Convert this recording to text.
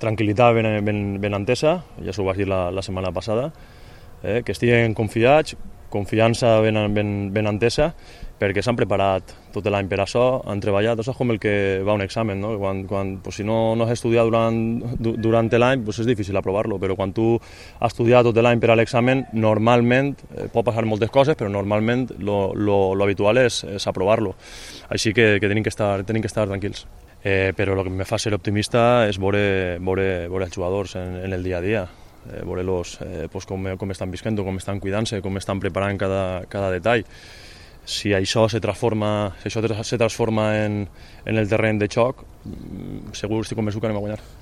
Tranquil·litat ben entesa, ja s'ho vaig dir la setmana passada, que estiguen confiats, confiança ben entesa, perquè s'han preparat tot l'any per això, han treballat, és com el que va a un examen, no? Pues, si no has estudiat durant l'any, pues és difícil aprovar-lo, però quan tu has estudiat tot l'any per a l'examen, normalment, pot passar moltes coses, però normalment lo habitual és aprovar-lo. Així que tenim que estar tranquils. Però el que em fa ser optimista és veure els jugadors en el dia a dia, veure-los com estan visquent, com estan cuidant-se, com estan preparant cada detall. Si això se transforma en el terreny de joc, segur estic convençut que anem a guanyar.